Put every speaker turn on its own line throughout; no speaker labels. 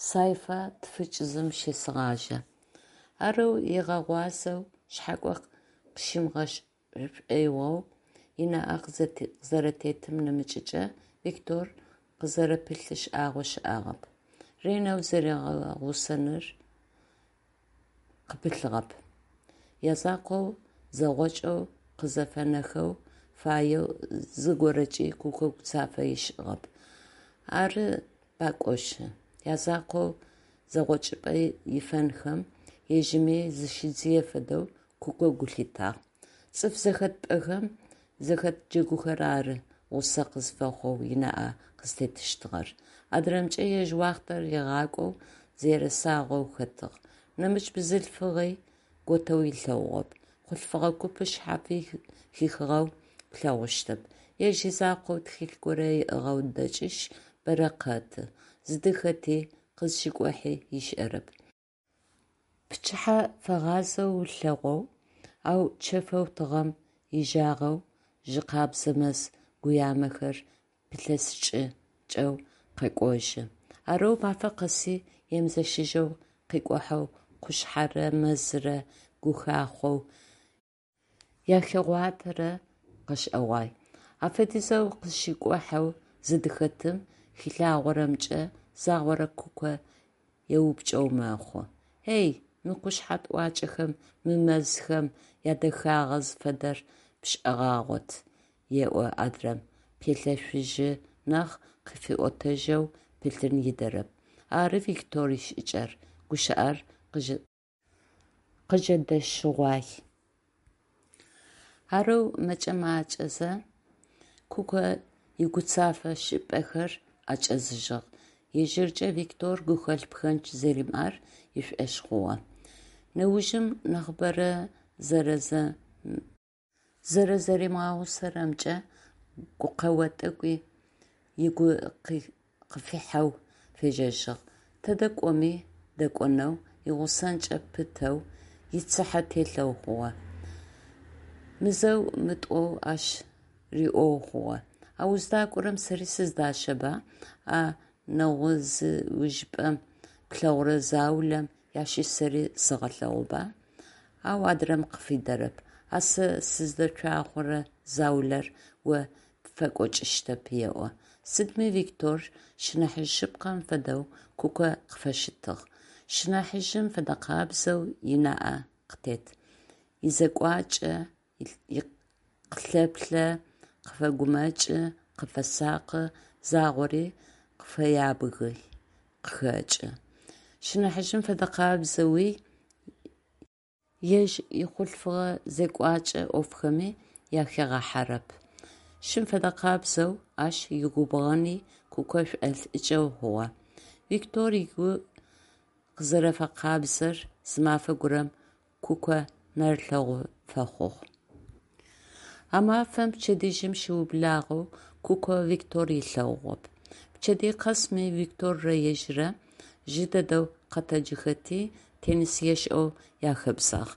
Сайфа тфыкӏ-зым щесэгъажьэ. Арэу ыгъэгъуазэу, шъхьакӏо къыщимыгъэшӏ шӏоигъоу ынаӏэ къызэрэтетым нэмыкӏыкӏэ Виктор къызэрэпылъы шӏагъо щыӏагъэп, ренэу зэригъэгъусэныр къыпылъыгъэп, язакъоу зэгъокӏэу къызэфэнэхэу фаеу зыгорэкӏи Куко гуцафэ ышӏыгъэп. Ары пакӏошъы, язакъоу зэгъокӏыпӏэ ифэнхэм ежьыми зыщидзые фэдэу Куко гу лъитагъ. Цӏыф зэхэтыпӏэхэм, зэхэт джэгухэр ары гъусэ къызфэхъоу ынаӏэ къызтетыщтыгъэр. Адрэмкӏэ ежь уахътэр ыгъакӏоу зэресагъэу хэтыгъ. Нэмыкӏ бзылъфыгъи готэу ылъэгъугъэп, хъулъфыгъэ купы шъхьафи хихыгъэу плъэгъущтэп. Ежь изакъоу тхылъ горэ ыӏыгъэу дэкӏышъ бэрэ къэты, зыдыхэти, къызщикӏухьи ышӏэрэп. Пчыхьэ фэгъазэу ылъэгъоу, ау чэфэу тыгъэм ежагъэу жьы къабзэ мэз гуямэхэр пилъэсыкӏэу къэкӏожьы. Арэу мафэ къэси емызэщыжьэу къикӏухьэу къушъхьэрэ мэзырэ гухахъоу яхигъуатэрэр къэшӏэгъуай. Афэдизэу къызщикӏухьэу зыдыхэтым хилъагъорэмкӏэ загъорэ Куко еупчӏэу мэхъу: «Эй, мы къушъхьэ тӏуакӏэхэм, мы мэзхэм ядэхагъэ зыфэдэр пшӏэгъагъот», еӏо адрэм, пелъэшъужьы нахь, къыфиӏотэжьэу пылъын ыдэрэп. Ары Виктор ишӏыкӏэр – гущыӏэр къыжэдэщыгъуай. Арэу мэкӏэ-макӏэзэ Куко игуцэфэ шӏыпӏэхэр ӏэкӏэзыжьыгъ, ежьыркӏэ Виктор гухэлъ пхэндж зэримыӏэр ышӏошъ хъугъэ. Нэужым нахьыбэрэ зэрэзэримыгъэгъусэрэмкӏэ гукъэо тӏэкӏуи ыгу къыфихьэу фежьэжьыгъ. Тэдэ кӏоми дэкӏонэу, игъусэнкӏэ пытэу ицыхьэ телъэу хъугъэ. Мызэу-мытӏоу ащ риӏоу хъугъэ: «А уздакӏорэм сэри сыздащэба, а нэгъузыужьыпӏэм плъэгъурэ заулэм ащыщ сэри сэгъэлъэгъуба?» Ау адрэм къыфидэрэп: «А сэ сыздэцуахъорэ заулэр о пфэкӏокӏыщтэп», еӏо. Сыдми Виктор шынахьыжъ шъыпкъэм фэдэу Куко къыфыщытыгъ, шынахьыжъым фэдэкъабзэу ынаӏэ къытет, изекӏуакӏэ къылъэплъэ, къыфэгумэкӏы, къыфэсакъы, загъори къыфэябги къыхэкӏы. Шынахьыжъым фэдэкъабзэуи ежь ихъулъфыгъэ зекӏуакӏэ ӏофхэми ахигъахьэрэп. Шым фэдэкъабзэу ащ игубгъэни Куко шӏолӏыкӏэу хъугъэ. Виктор ыгу къызэрэфэкъабзэр зы мафэ горэм Куко нэрылъэгъу фэхъугъ. А мафэм пчэдыжьым щыублагъэу Куко Виктор ылъэгъугъэп. Пчэдэй къэсми Викторрэ ежьыррэ жьы дэдэу къэтэджыхэти теннис ешӏэу яхэбзагъ.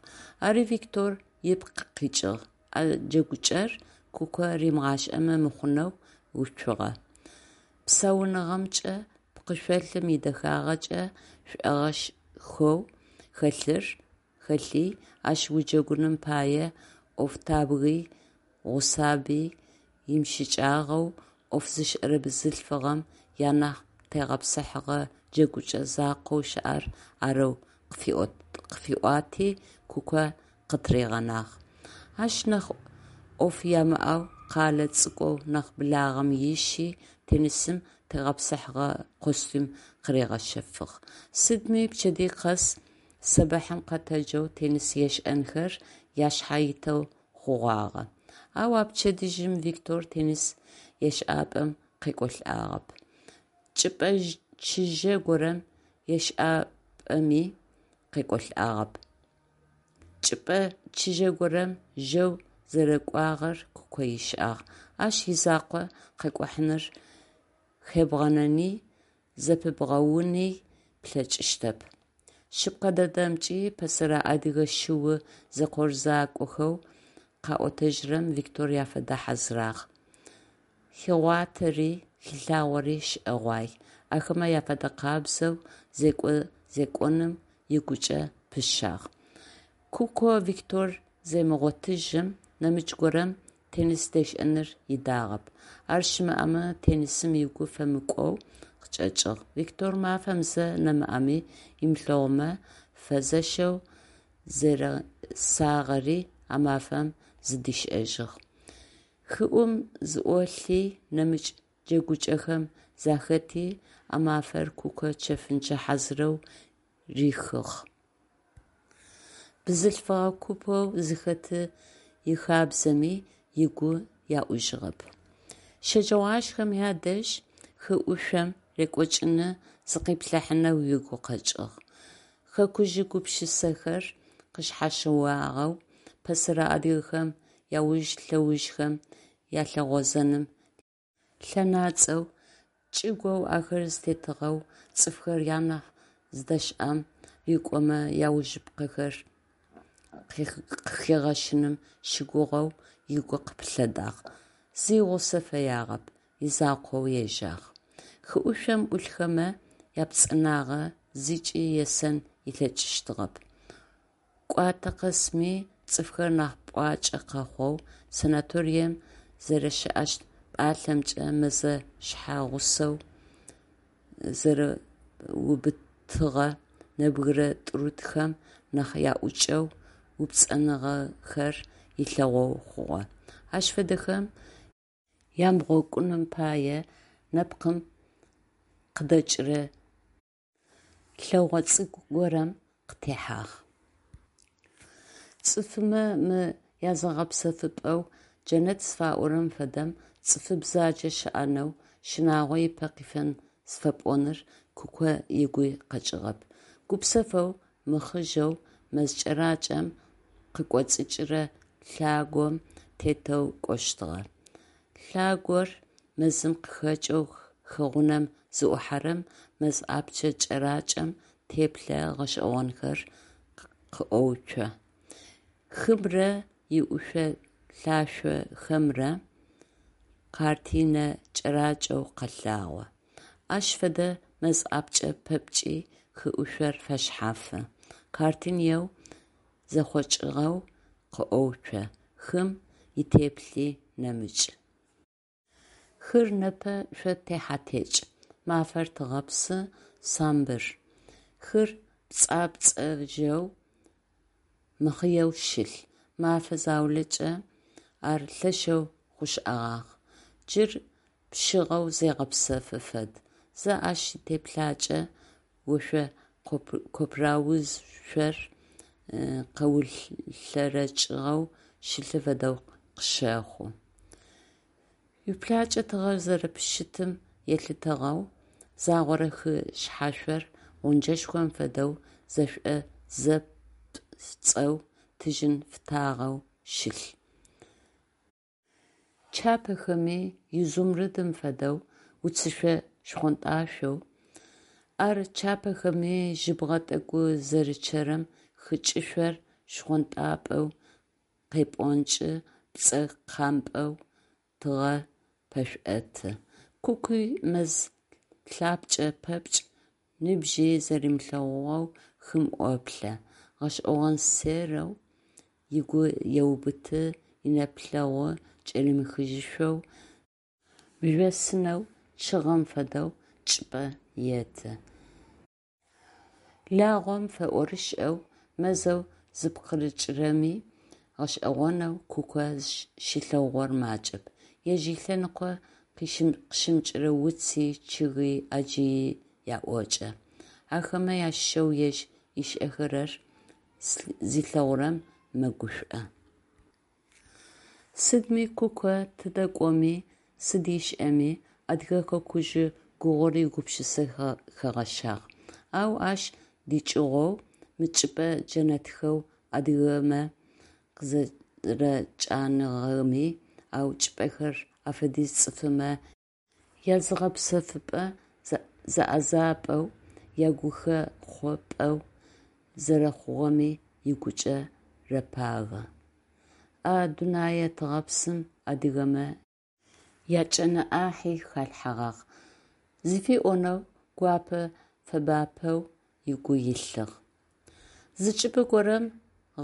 Ари Виктор ыпкъ къикӏыгъ, а джэгукӏэр Куко римыгъашӏэмэ мыхъунэу уцугъэ. Псауныгъэмкӏэ, пкъышъолым идэхагъэкӏэ шӏогъэшхоу хэлъыр хэлъи, ащ уджэгуным пае ӏофтабги гъусаби имыщыкӏагъэу, ӏоф зышӏэрэ бзылъфыгъэм ианахь тегъэпсыхьэгъэ джэгукӏэ закъоу щыӏэр арэу къыфиӏуати, Куко къытыригъэнагъ. Ащ нахь ӏоф ямыӏэу къэлэ цӏыкӏоу нахь благъэм ыщи, теннисым тегъэпсыхьэгъэ костюм къыригъэщэфыгъ. Сыдми пчэдэй къэс сэбэхьым къэтэджэу теннис ешӏэнхэр яшъхьэ итэу хъугъагъэ. Ау а пчэдыжьым Виктор теннис ешӏапӏэм къекӏолӏагъэп. Чӏыпӏэ чыжьэ горэм ешӏапӏэми къекӏолӏагъэп. Чӏыпӏэ чыжьэ горэм жьэу зэрэкӏуагъэр Куко ышӏагъ. Ащ изакъоу къэкӏухьаныр хэбгъэнэни зэпыбгъэуни плъэкӏыщтэп. Шъыпкъэ дэдэмкӏи, пэсэрэ адыгэ шыу зекӏорызакӏохэу къаӏотэжьырэм Виктор яфэдэ хьазырагъ. Хигъуатэри хилъагъори шӏэгъуай. Ахэмэ афэдэкъабзэу зекӏо зекӏоным ыгукӏэ пыщагъ. Куко Виктор земыгъотыжьым, нэмыкӏ горэм теннис дешӏэныр ыдагъэп. Ар щымыӏэмэ теннисым ыгу фэмыкӏоу къычӏэкӏыгъ. Виктор мафэм зэ нэмыӏэми ымылъэгъумэ фэзэщэу зэресагъэри а мафэм зыдишӏэжьыгъ. Хыӏум зыӏолъи, нэмыкӏ джэгукӏэхэм захэти а мафэр Куко чэфынчъэ хьазырэу рихыгъ. Бзылъфыгъэ купэу зыхэты ихабзэми ыгу еӏужьыгъэп. Щэджэгъуашхэм ядэжь хы ӏушъом рекӏокӏыны зыкъиплъыхьанэу ыгу къэкӏыгъ. Хэкужъ гупшысэхэр къышъхьащыуагъэу, пэсэрэ адыгэхэм яуж-лъэужхэм алъыгъозэным лъэнацӏэу, чӏыгоу ахэр зытетыгъэу цӏыфхэр анахь зыдэщыӏэм рыкӏомэ яужыпкъэхэр къыхигъэщыным щыгугъэу ыгу къыпылъэдагъ. Зи гъусэ фэягъэп, изакъоу ежьагъ. Хыӏушъом ӏулъхэмэ япцӏэнагъэ зыкӏи есэн ылъэкӏыщтыгъэп. Кӏуатэ къэсми цӏыфхэр нахь пӏуакӏэ къэхъоу, санаторием зэрэщыӏэщт пӏалъэмкӏэ мэзэ шъхьагъусэу зэрэубытыгъэ нэбгырэ тӏурытӏухэм нахь аӏукӏэу, упцӏэныгъэхэр ылъэгъоу хъугъэ. Ащ фэдэхэм ямыгъокӏуным пае нэпкъым къыдэкӏырэ лъэгъо цӏыкӏу горэм къытехьагъ. Цӏыфымэ мы языгъэпсэфыпӏэу джэнэт зыфаӏорэм фэдэм цӏыфы бзаджэ щыӏэнэу, щынагъо ипэ къифэн зыфэпӏоныр Куко ыгуи къэкӏыгъэп. Гупсэфэу, мыхъыжъэу мэз кӏэракӏэм къыкӏоцӏыкӏырэ лъагъом тетэу кӏощтыгъэ. Лъагъор мэзым къыхэкӏэу хы гъунэм зыӏухьэрэм, мэз ӏапчъэ кӏэракӏэм теплъэ гъэшӏэгъонхэр къыӏоуцо. Хымрэ иӏушъо-лъашъохэмрэ къартинэ кӏэракӏэу къэлъагъо. Ащ фэдэ мэз ӏапчъэ пэпчъи хы ӏушъор фэшъхьафы, картинэу зэхъокӏыгъэу къыӏоуцо, хым итеплъи нэмыкӏ. Хыр непэ шъо техьэ-текӏ. Мафэр тыгъэпсы, самбыр. Хыр пцӏапцӏэжьэу, мыхъыеу щылъ. Мэфэ заулэкӏэ ар лъэшэу хъушӏэгъагъ. Джыр пшъыгъэу зегъэпсэфы фэд. Зэ ащ итеплъакӏэ ошъо копраузшъор къэулъэрэкӏыгъэу щылъы фэдэу къыщэхъу. Уиплъакӏэ тыгъэр зэрэпыщытым елъытыгъэу загъорэ хы шъхьашъор гъунджэшхом фэдэу зэшӏозэпцӏэу, тыжьын фытагъэу щылъ. Чапэхэми, изумрудым фэдэу, уцышъо-шхъонтӏашъоу. Ар чапэхэми, жьыбгъэ тӏэкӏу зэрычъэрэм хы кӏышъор шхъонтӏапӏэу къепӏонкӏы, пцӏэ къампӏэу тыгъэр пэшӏоты. Кукуй мэз лъапчӏэ пэпчъ ныбжьи зэримылъэгъугъэу хым ӏоплъэ, гъэшӏэгъонсерэу ыгу еубыты, инэплъэгъу кӏэримыхыжьышъоу, мыжъосынэу чъыгъэм фэдэу чӏыпӏэ еты. Лагъом фэӏорышӏэу мэзэу зыпкъырыкӏырэми гъэшӏэгъонэу Куко щилъэгъугъэр макӏэп. Ежь ылъэныкъо къыщымыкӏырэ уци, чъыги ӏаджи аӏокӏэ. Ахэмэ ащыщэу ежь ышӏэхэрэр зилъэгъурэм мэгушӏо. Сыдми Куко тыдэ кӏоми, сыд ышӏэми, Адыгэ хэкужъы гугъур игупшысэ хэгъэщагъ. Ау ащ дыкӏыгъоу мы чӏыпӏэ джэнэтхэу адыгэмэ къызэрэчӏаныгъэми, ау чӏыпӏэхэр афэдиз цӏыфымэ языгъэпсэфыпӏэ-зэӏэзапӏэу, ягухэхъопӏэу зэрэхъугъэми ыгукӏэ рэпагэ. А дунэе тыгъэпсым адыгэмэ ячӏэнэ ӏахьи халъхьэгъагъ зыфиӏонэу Гуапэ фэбапэу ыгу илъыгъ. Зы чӏыпӏэ горэм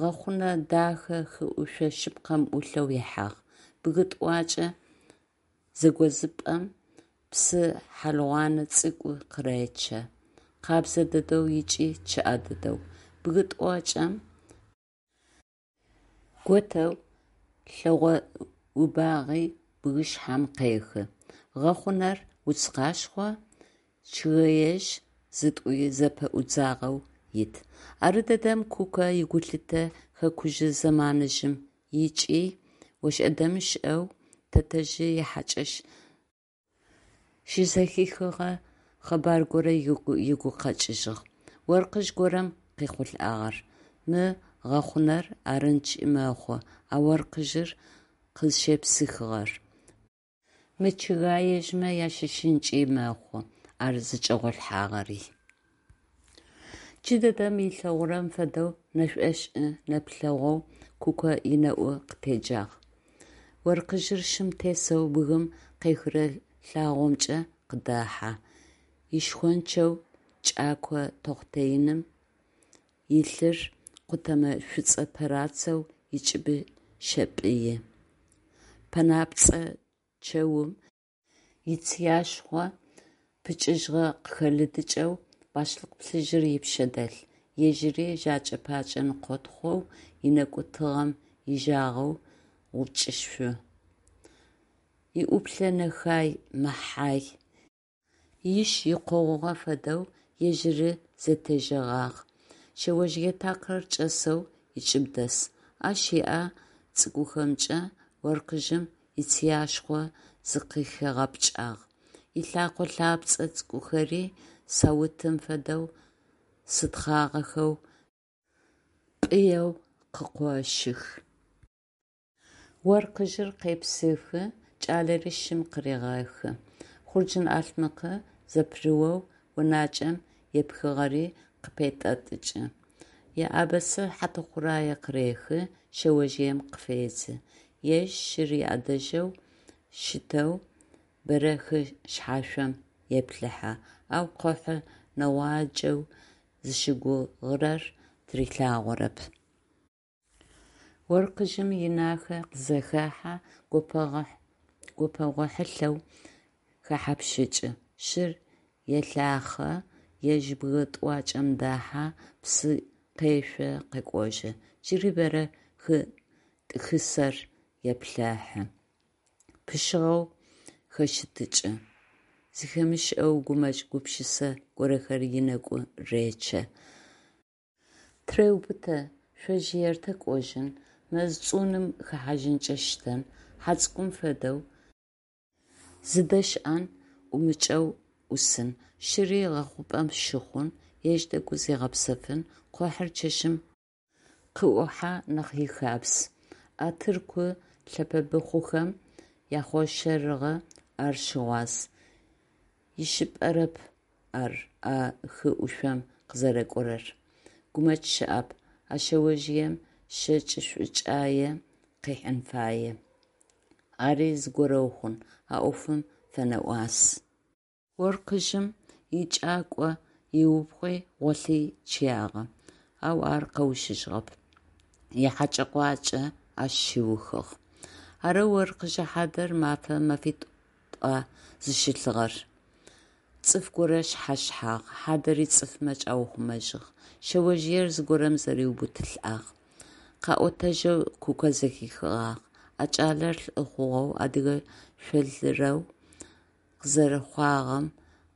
гъэхъунэ дахэ хыӏушъо шъыпкъэм ӏулъэу ихьагъ. Бгы тӏуакӏэ зэгозыпӏэм псы хьалгъуанэ цӏыкӏу къыречъэ, къабзэ дэдэу ыкӏи чъыӏэ дэдэу. Бгы тӏуакӏэм готэу лъэгъо убагъи бгышъхьэм къехы. Гъэхъунэр уц къашхъо, чъыгэежъ зытӏуи зэпэӏудзыгъэу ит. Ардэдэм Куко игулъытэ хэкужъы зэманыжъым икӏи, ошӏэ-дэмышӏэу тэтэжъ ихьакӏэщ щызэхихыгъэ къэбар горэ ыгу къэкӏыжьыгъ. Оркъыжъ горэм къехъулӏагъэр. Мы гъэхъунэр арынкӏи мэхъу а оркъыжъыр къызщепсыхыгъэр, мы чъыгэежъмэ ащыщынкӏи мэхъу ар зычӏэгъолъхьагъэри. Джыдэдэм ылъэгъурэм фэдэу нэшӏошӏы нэплъэгъоу Куко ынэӏу къытеджагъ. Оркъыжъыр шым тесэу бгым къехырэ лъагъомкӏэ къыдэхьэ, ишхончэу кӏэко тэхъутэ иным илъыр къутэмэ шӏуцӏэ пэрацэу ыкӏыбы щепӏыи. Пэнапцӏэ чэум ицыяшхъо пыкӏыжьыгъэ къыхэлыдыкӏэу башлыкъ плъыжьыр ыпшъэ дэлъ, ежьыри жэкӏэ-пэкӏэ ныкъотхъоу, ынэкӏу тыгъэм ижъагъэу гъучӏышъу. Иӏуплъэ нэхай-мэхай. Иш икъогъугъэ фэдэу ежьыри зэтежьэгъагъ, шъэожъые такъыр кӏэсэу ыкӏыб дэс. Ащ ыӏэ цӏыкӏухэмкӏэ оркъыжъым ицыяшхъо зыкъыхигъэпкӏагъ, ылъэкъо лъапцӏэ цӏыкӏухэри саутым фэдэу сытхъагъэхэу пӏыеу къыкъощых. Оркъыжъыр къепсыхы, кӏалэри шым къырегъэхы. Хъурджын-ӏалъмэкъ зэпырыоу онакӏэм епхыгъэри къыпетӏэтӏыкӏы. Еӏэбэзэ хьатыхъурае къырехы, шъэожъыем къыфедзы. Ежь шыр иӏэдэжьэу щытэу бэрэ хы шъхьашъом еплъыхьэ, ау къохьэ нэгъуаджэу зыщыгугъырэр тырилъагъорэп. Оркъыжъым инахэ къызэхахьэ, гопэгъу хьылъэу хэхьапщыкӏы, шыр елъахъэ, ежь бгы тӏуакӏэм дэхьэ, псы къешъо, къэкӏожьы. Джыри бэрэ хы тӏыхысэр еплъыхьэ, пшъыгъэу хэщытыкӏы, зэхимышӏэу гумэкӏ гупшысэ горэхэр ынэгу речъэ. Тыреубытэ, шъэожъыер тэ кӏожьын, мэз цуным хэхьажьынкӏэ щтэн, хьэ цӏыкӏум фэдэу зыдэщыӏэн ӏумыкӏэу ӏусын, шыри гъэхъупӏэм щыхъун, ежь тӏэкӏу зигъэпсэфын, къохьыр чэщым къыӏухьэ нахь ихабз, а тырку лъэпэбыхъухэм яхъоршэрыгъэ ар щыгъуаз, ишъыпкъэрэп ар а хы ӏушъом къызэрэкӏорэр, гумэкӏ щыӏэп, а шъэожъыем шэкӏ шӏукӏае къыхьын фае, ари зыгорэу хъун, а ӏофым фэнэӏуас. Оркъыжъым икӏакӏо ыубгъуи гъолъи чъыягъэ, ау ар къэущыжьыгъэп, ихьэкӏэ-къуакӏэ ащ щиухыгъ. Арэу оркъыжъ хьадэр мафэ, мэфитӏуа зыщылъыгъэр, цӏыф горэ шъхьащыхьагъ, хьадэри цӏыфмэ чӏаухъумэжьыгъ, шъэожъыер зыгорэм зэриубытылӏагъ. Къаӏотэжьэу Куко зэхихыгъагъ: а кӏалэр лӏы хъугъэу адыгэ шъолъырэу къызэрыхъугъэм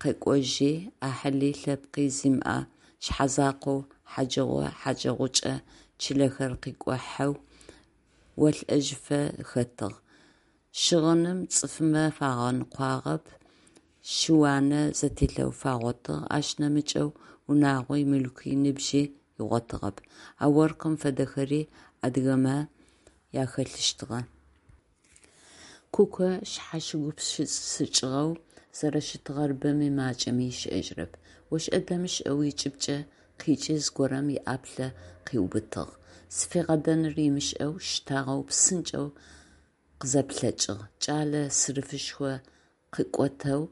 къэкӏожьи, ӏахьыли лъэпкъи зимыӏэ шъхьэзакъоу хьаджыгъо-хьаджэгъукӏэ чылэхэр къыкӏухьэу олӏэжьыфэ хэтыгъ, щыгъыным цӏыфмэ фагъэныкъуагъэп, шы-уанэ зэтелъэу фагъотыгъ, ащ нэмыкӏэу унагъуи, мылъкуи ныбжьи ыгъотыгъэп. А оркъым фэдэхэри адыгэмэ ахэлъыщтыгъэ. Куко шъхьащыгупшысыкӏыгъэу зэрэщытыгъэр бэми макӏэми ышӏэжьырэп. ОшӀэ-дэмышӀэу ыкӀыбкӀэ къикӀи зыгорэм ыӀаплӀы къыӏиубытыгъ. Зыфигъэдэнур ымышӀэу, щтагъэу псынкӀэу къызэплъэкӀыгъ. КӀалэ сырыфышхо къыкъотэу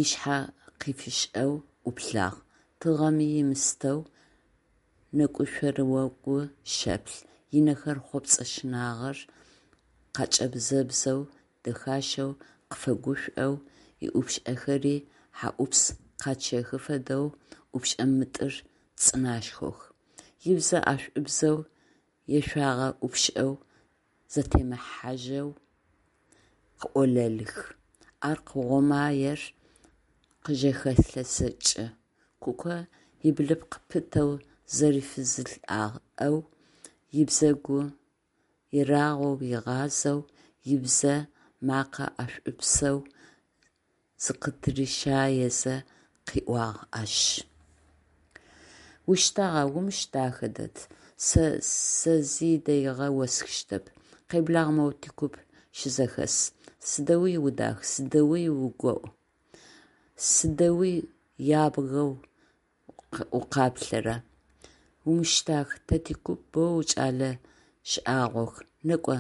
ышъхьэ къифишӏэу ӏуплъагъ, тыгъэми ымыстэу нэкӏушъорыогу шэплъ, ынэхэр хъопсэ щынагъэр къакӏэбзэбзэу дэхащэу къыфэгушӏоу, ыӏупшӏэхэри хьэӏупс къячъэхы фэдэу ӏупшӏэ мытӏыр цӏынашхох, ыбзэ ӏэшӏубзэу ешъуагъэ ӏупшӏэу зэтемыхьажьэу къыӏолэлых, аркъ гъомаер къыжэхелъэсыкӏы, Куко ыблыпкъ пытэу зырифызылӏэу, ыбзэгу ерагъэу ыгъазэу, ыбзэ макъэ ӏэшӏупсэу зыкъыдырищаезэ къыӏуагъ ащ. Уштагъа, умыш дахэ дэд, сэ зи дэигъэ осхыщтэп, къеблагъ моу тикуп щызэхэс, сыдэуи удах, сыдэуи угоӀу, сыдэуи ябгэу укъаплъэра, умыштах, тэ тикуп боу кӏэлэ шӏагъох, некӏо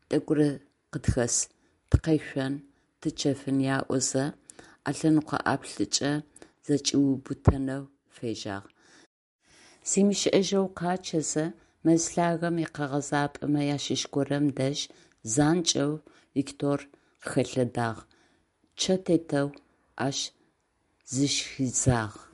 тӏэкӏурэ къытхэс, тыкъэшъон, тычэфын аӏозэ, ӏэлъэныкъо ӏаплӏыкӏэ зэкӏиубытэнэу фежьагъ. Зимышӏэжьэу къачъэзэ, мэз лъагэм икъэгъэзапӏэмэ ащыщ горэм дэжь занкӏэу Виктор къыхэлъэдагъ, чъэ тетэу ащ зыщхидзагъ.